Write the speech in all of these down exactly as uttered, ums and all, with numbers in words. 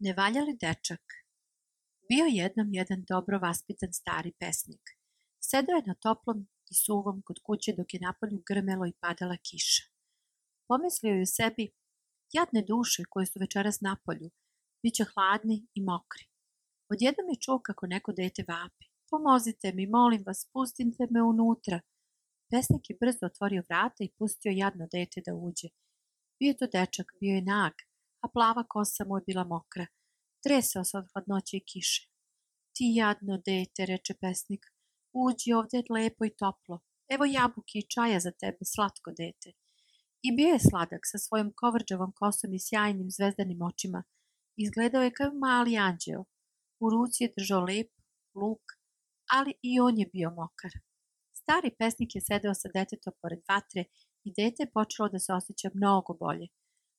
Nevaljali dečak. Bio jednom jedan dobro vaspitan stari pesnik. Sedeo je na toplom i suvom kod kuće dok je napolju grmelo i padala kiša. Pomislio je u sebi, jadne duše koje su večeras napolju, bit će hladni i mokri. Odjednom je čuo kako neko dete vapi. Pomozite mi, molim vas, pustite me unutra. Pesnik je brzo otvorio vrata i pustio jadno dete da uđe. Bio je to dečak, bio je nag, a plava kosa mu je bila mokra. Tresao se od hladnoće i kiše. Ti jadno dete, reče pesnik, uđi ovde je lepo i toplo. Evo jabuke i čaja za tebe, slatko dete. I bio je sladak sa svojom kovrđavom kosom i sjajnim zvezdanim očima. Izgledao je kao mali anđeo. U ruci je držao lep luk, ali i on je bio mokar. Stari pesnik je sedeo sa detetom pored vatre i dete je počelo da se osjeća mnogo bolje.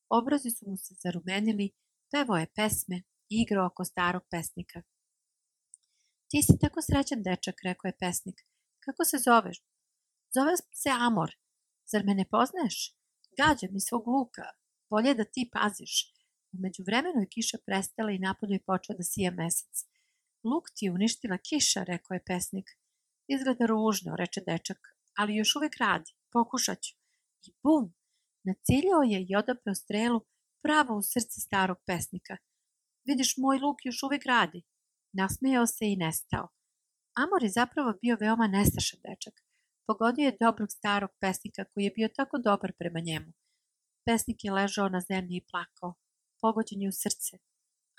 Obrazi su mu se zarumenili, pevao je pesme i igrao oko starog pesnika. Ti si tako srećan dečak, rekao je pesnik. Kako se zoveš? Zovem se Amor. Zar me ne poznaješ? Gađa mi svog luka. Bolje da ti paziš. U međuvremenu je kiša prestala i napolju je počeo da sija mesec. Luk ti je uništila kiša, rekao je pesnik. Izgleda ružno, reče dečak, ali još uvek radi. Pokušat ću. I bum! Naciljao je i odaprao strelu pravo u srce starog pesnika. Vidiš, moj luk još uvek radi. Nasmejao se i nestao. Amor je zapravo bio veoma nestašan dečak. Pogodio je dobrog starog pesnika koji je bio tako dobar prema njemu. Pesnik je ležao na zemlji i plakao. Pogođen je u srce.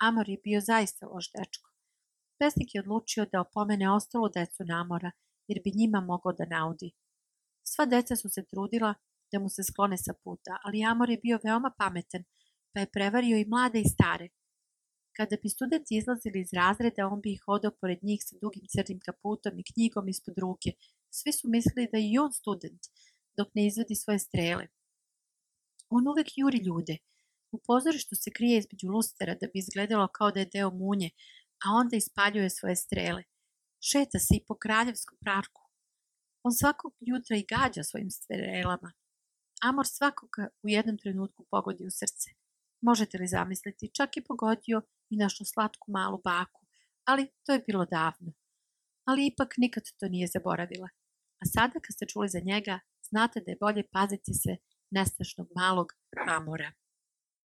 Amor je bio zaista loš dečko. Pesnik je odlučio da opomene ostalu decu na Amora, jer bi njima mogao da naudi. Sva deca su se trudila da mu se sklone sa puta, ali Amor je bio veoma pametan, pa je prevario i mlade i stare. Kada bi studenti izlazili iz razreda, on bi ih hodao pored njih sa dugim crnim kaputom i knjigom ispod ruke. Svi su mislili da je i on student, dok ne izvadi svoje strele. On uvek juri ljude. U pozorištu se krije između lustera da bi izgledalo kao da je deo munje, a onda ispaljuje svoje strele. Šeta se i po kraljevskom parku. On svakog jutra i gađa svojim strelama. Amor svakoga u jednom trenutku pogodi u srce. Možete li zamisliti, čak i pogodio i našu slatku malu baku, ali to je bilo davno. Ali ipak nikad to nije zaboravila. A sada kad ste čuli za njega, znate da je bolje paziti se nestašnog malog Amora.